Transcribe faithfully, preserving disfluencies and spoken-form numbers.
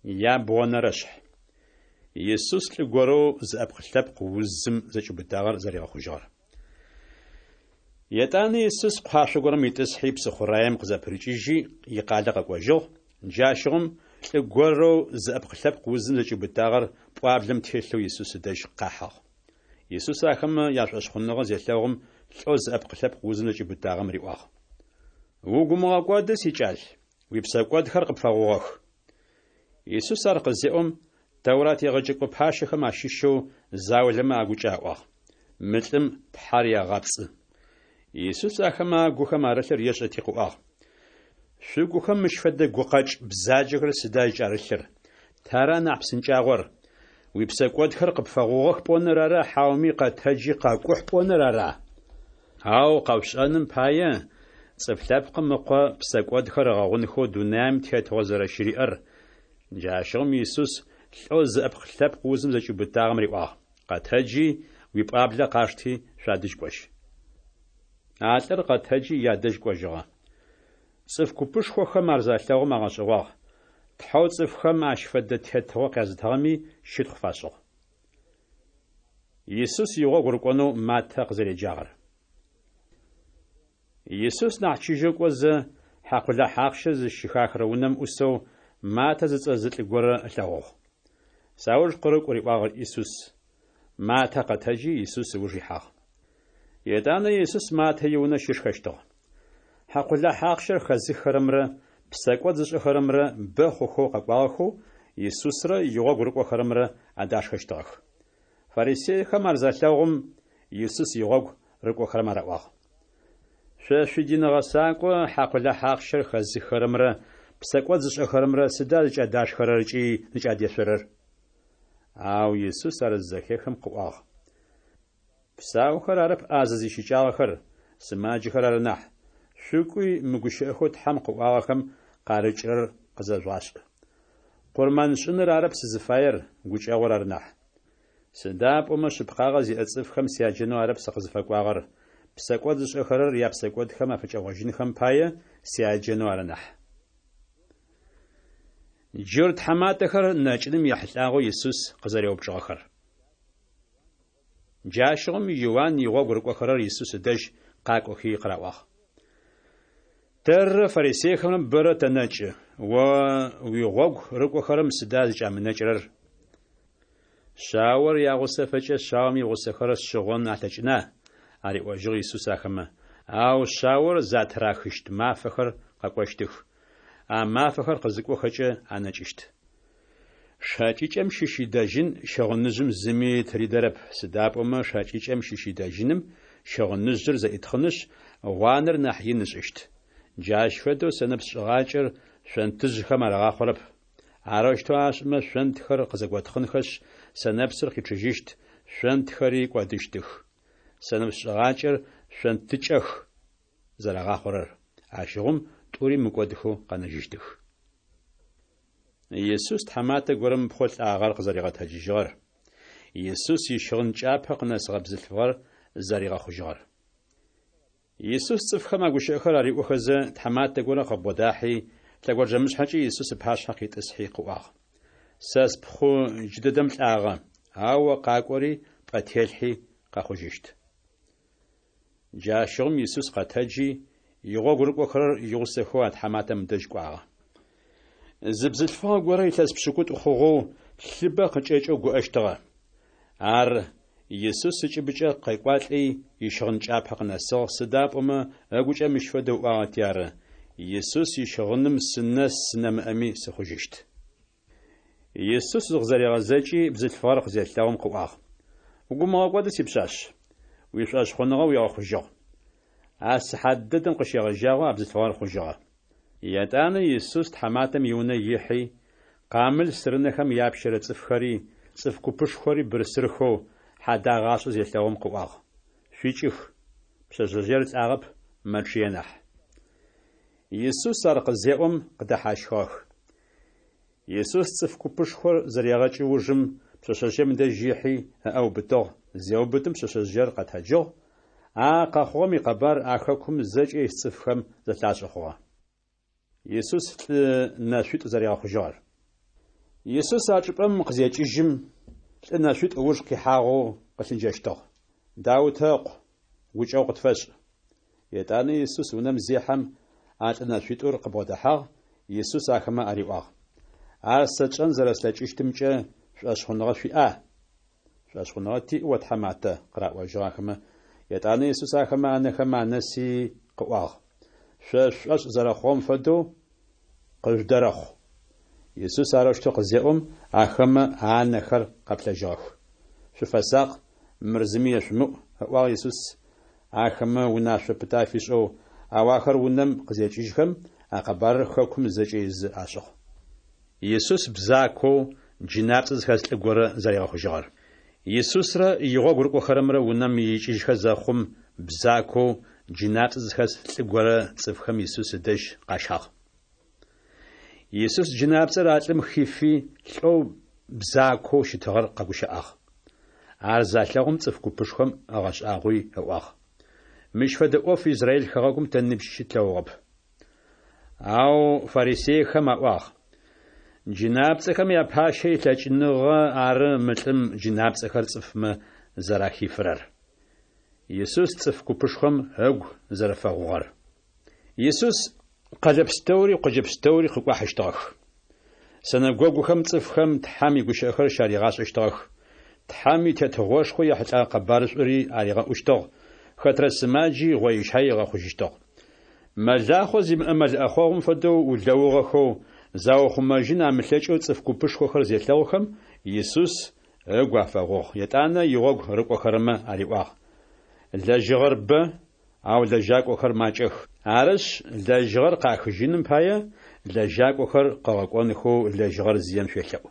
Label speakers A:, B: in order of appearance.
A: Ябгъонэрэшъхь. Исус лӏы горэу зыӏэпкъ-лъэпкъ узым зэкӏиубытагъэр зэригъэхъужьыгъэр. Етӏанэ Исус къуашъо горэм итӏысхьи псыхъураем къызэпырыкӏыжьи икъалэ къэкӏожьыгъ. Джащыгъум лӏы горэу зыӏэпкъ-лъэпкъ узым зэкӏиубытагъэр пӏуаблэм телъэу Исус ыдэжь къахьыгъ. Исус ахэмэ яшӏошъхъуныгъэ зелъэгъум, лӏэу зыӏэпкъ-лъэпкъ узым зэкӏиубытагъэм риӏуагъ: «Угу умыгъэкӏоды, сикӏал, уипсэкӏодхэр къыпфэгъугъэх». Исус ар къызеӏом, Тэурат егъэджэкӏо пащэхэм ащыщэу заулэмэ агукӏэ аӏуагъ: «Мы лӏым Тхьэр егъэпцӏы». Исус ахэмэ агухэм арылъыр ешӏэти къыӏуагъ: «Шъугухэм мыщ фэдэ гукъэкӏ бзаджэхэр сыда зыкӏарылъыр? Тара нахь псынкӏагъор: уипсэкӏодхэр къыпфэгъугъэх пӏоныр ара, хьауми къэтэджи къэкӏухь пӏоныр ара? Ау къэшъушӏэным пае, Цӏыф Лъэпкъым Ыкъо псэкӏодхэр ыгъэгъунхэу дунаим тетыгъо зэрэщыриӏэр». Джащыгъум Исус лӏэу зыӏэпкъ-лъэпкъ узым зэкӏиубытагъэм риӏуагъ: «Къэтэджи, уипӏуаблэ къашти, шъуадэжь кӏожь». А лӏыр къэтэджи ядэжь кӏожьыгъэ. Цӏыф купышхохэм ар залъэгъум агъэшӏэгъуагъ. Тхьэу цӏыфхэм ащ фэдэ тетыгъо къязытыгъэми щытхъу фашӏыгъ. Исус игъогу рыкӏонэу Матэ къызэреджагъэр. Исус нахь чыжьэу кӏозэ, хьакъулахь ахъщэр зыщыхахырэ унэм ӏусэу Матэ зыцӏэ зы лӏы горэ ылъэгъугъ. «Сауж къырыкӏу», риӏуагъ Исус. Матэ къэтэджи Исус ыуж ихьагъ. Етӏанэ Исус Матэ иунэ щышхэщтыгъ. Хьакъулахь ахъщэр хэзыххэрэмрэ псэкӏод зышӏэхэрэмрэ бэ хъухэу къэкӏуагъэхэу Исусрэ игъогу рыкӏохэрэмрэ адашхэщтыгъэх. Фарисейхэм ар залъэгъум, Исус игъогу рыкӏохэрэм араӏуагъ: «Шъо шъуидин гъэсакӏо хьакъулахь ахъщэр хэзыххэрэмрэ псэкӏод зышӏэхэрэмрэ сыда зыкӏадашхэрэр ыкӏи зыкӏадешъорэр?» Ау Исус ар зызэхехым къыӏуагъ: «Псаухэр арэп ӏазэ зищыкӏагъэхэр, сымаджэхэр ары нахь. Шъукӏуи мы гущыӏэхэу Тхьэм къыӏуагъэхэм къарыкӏырэр къызэжъугъашӏ. Къурмэншӏыныр арэп сызыфаер, гукӏэгъур ары нахь. Сыда пӏомэ шъыпкъагъэ зиӏэ цӏыфхэм сяджэнэу арэп сыкъызыфэкӏуагъэр, псэкӏод зышӏэхэрэр япсэкӏодхэм афыкӏэгъожьынхэм пае сяджэнэу ары нахь». Джурт тхьаматэхэр нэкӏыным ехьылӏагъэу Исус къызэреупчӏыгъэхэр. Джащыгъум Иуан игъогу рыкӏохэрэр Исус ыдэжь къакӏохи къыраӏуагъ: «Тэррэ фарисейхэмрэ бэрэ тэнэкӏы, о уигъогу рыкӏохэрэм сыда зыкӏамынэкӏырэр?» «Шъаор ягъусэфэкӏэ шъаом игъусэхэр шъыгъон алъэкӏына?» ариӏожьыгъ Исус ахэмэ. «Ау шъаор затырахыщт мафэхэр къэкӏощтых. А мафэхэр къызыкӏохэкӏэ анэкӏыщт. Шэкӏыкӏэм щыщ идэжьын щыгъыныжъым зыми тыридэрэп, сыда пӏомэ шэкӏыкӏэм щыщ идэжьыным щыгъыныжъыр зэӏитхъынышъ, гъуанэр нахь ин ышӏыщт. Джащ фэдэу сэнэпс шӏыгъакӏэр шъонтыжъхэм арагъахъорэп. Арэущтэу ашӏымэ, шъонтхэр къызэготхъынхэшъ, сэнэпсыр къичъыжьыщт, шъонтхэри кӏодыщтых. Сэнэпс шӏыгъакӏэр шъонтыкӏэх зэрагъахъорэр. Ащыгъум тӏури мыкӏодхэу къэнэжьыщтых». Исус тхьаматэ горэм ыпхъу лӏагъэр къызэригъэтэджыжьыгъэр. Исус ищыгъын кӏапэ къынэсыгъэ бзылъфыгъэр зэригъэхъужьыгъэр. Исус цӏыфхэм а гущыӏэхэр ариӏохэзэ, тхьаматэ горэ къыбгъодахьи, лъэгонджэмышъхьэкӏэ Исус ыпашъхьэ къитӏысхьи къыӏуагъ: «Сэ спхъу джыдэдэм лӏагъэ, ау о къакӏори пӏэ телъхьи къэхъужьыщт». Джащыгъум Исус къэтэджи, игъогу рыкӏохэрэр игъусэхэу а тхьаматэм ыдэжь кӏуагъэ. Зы бзылъфыгъэ горэ илъэс пшӏыкӏутӏу хъугъэу лъыбэ къыкӏэкӏэу гуӏэщтыгъэ. Ар Исус ыкӏыбыкӏэ къекӏуалӏи ищыгъын кӏапэ къынэсыгъ, сыда пӏомэ ыгукӏэ мыщ фэдэу ыӏуагъэти ары: «Исус ищыгъыным сынэс нэмыӏэми сыхъужьыщт». Исус зыкъызэригъэзэкӏи бзылъфыгъэр къызелъэгъум къыӏуагъ: «Угу умыгъэкӏоды, сипшъашъ, уишӏошъхъуныгъэ уигъэхъужьыгъ». А сыхьат дэдэм къыщегъэжьагъэу а бзылъфыгъэр хъужьыгъэ. Етӏанэ Исус тхьаматэм иунэ ихьи, къамыл сырынэхэм япщэрэ цӏыфхэри, цӏыф купышхори бырсырхэу, хьадагъашӏэ зелъэгъум къыӏуагъ: «Шъуикӏых, пшъэшъэжъыер лӏагъэп, мэчъые нахь». Исус ар къызеӏом къыдэхьащхыгъэх. Исус цӏыф купышхор зырегъэкӏы ужым пшъэшъэжъыем ыдэжь ихьи, ыӏэ ыубытыгъ, зеубытым пшъэшъэжъыер къэтэджыгъ. А къэхъугъэм икъэбар а хэкум зэкӏэ ис цӏыфхэм зэлъашӏэ хъугъэ. Исус лӏы нэшъуитӏу зэригъэхъужьыгъэр. Исус а чӏыпӏэм къызекӏыжьым, лӏы нэшъуитӏу ыуж къихьагъэу къылъыджэщтыгъ: Даутэ Ыкъу, гукӏэгъу къытфэшӏ! Етӏанэ Исус унэм зехьэм, а лӏы нэшъуитӏур къыбгъодэхьагъ, Исус ахэмэ ариӏуагъ: Ар сэ тшӏэн зэрэслъэкӏыщтымкӏэ шӏошъхъуныгъэ шъуиӏа? Шӏошъхъуныгъэ тиӏ, о тхьаматэ, къыраӏожьыгъ ахэмэ. Етӏанэ Исус ахэмэ анэхэм анэси къыӏуагъ: Шъо шъушӏошъ зэрэхъугъэм фэдэу къыжъудэрэхъу. Исус арэущтэу къызеӏом, ахэмэ анэхэр къэплъэжьыгъэх. Шъуфэсакъ, мыр зыми ешъумыӏу, ыӏуагъ Исус ахэмэ унашъо пытэ афишӏэу, ау ахэр унэм къызекӏыжьхэм, а къэбарыр хэкум зэкӏэ изы ашӏыгъ. Исус бзакоу джынапцӏэ зыхэс лӏы горэ зэригъэхъужьыгъэр. Исусрэ игъогу рыкӏохэрэмрэ унэм икӏыжьхэ зэхъум, бзакоу джынапцӏэ зыхэс лӏы горэ цӏыфхэм Исус ыдэжь къащагъ. Исус джынапцӏэр а лӏым хифи, лӏэу бзакоу щытыгъэр къэгущыӏагъ. Ар залъэгъум цӏыф купышхом ыгъэшӏагъуи ыӏуагъ: Мыщ фэдэ ӏоф Израиль хэгъэгум тэ ныбжьи щытлъэгъугъэп. Ау фарисейхэм аӏуагъ: Джынапцӏэхэм япащэ илъэкӏыныгъэ ары мы лӏым джынапцӏэхэр цӏыфмэ зэрахифырэр. Исус цӏыф купышхом ыгу зэрэфэгъугъэр. Исус къэлэ пстэури къоджэ пстэури къыкӏуахьыщтыгъэх. Синэгогухэм цӏыфхэм Тхьэм игущыӏэхэр щаригъашӏэщтыгъэх. Тхьэм и Тетыгъошхо ехьылӏэгъэ къэбарышӏури аригъэӏущтыгъ, хэтрэ сымаджи гъоищай ыгъэхъужьыщтыгъ. Мэлахъо зимыӏэ мэл ӏэхъогъум фэдэу улэугъэхэу, заухъумэжьын амылъэкӏэу цӏыф купышхохэр зелъэгъухэм, Исус ыгу афэгъугъ, етӏанэ игъогу рыкӏохэрэмэ ариӏуагъ: Лэжьыгъэр бэ, ау лэжьакӏохэр макӏэх. Арышъ, лэжьыгъэр къахыжьыным пае, лэжьакӏохэр къыгъэкӏонхэу лэжьыгъэр зием шъуелъэӏу.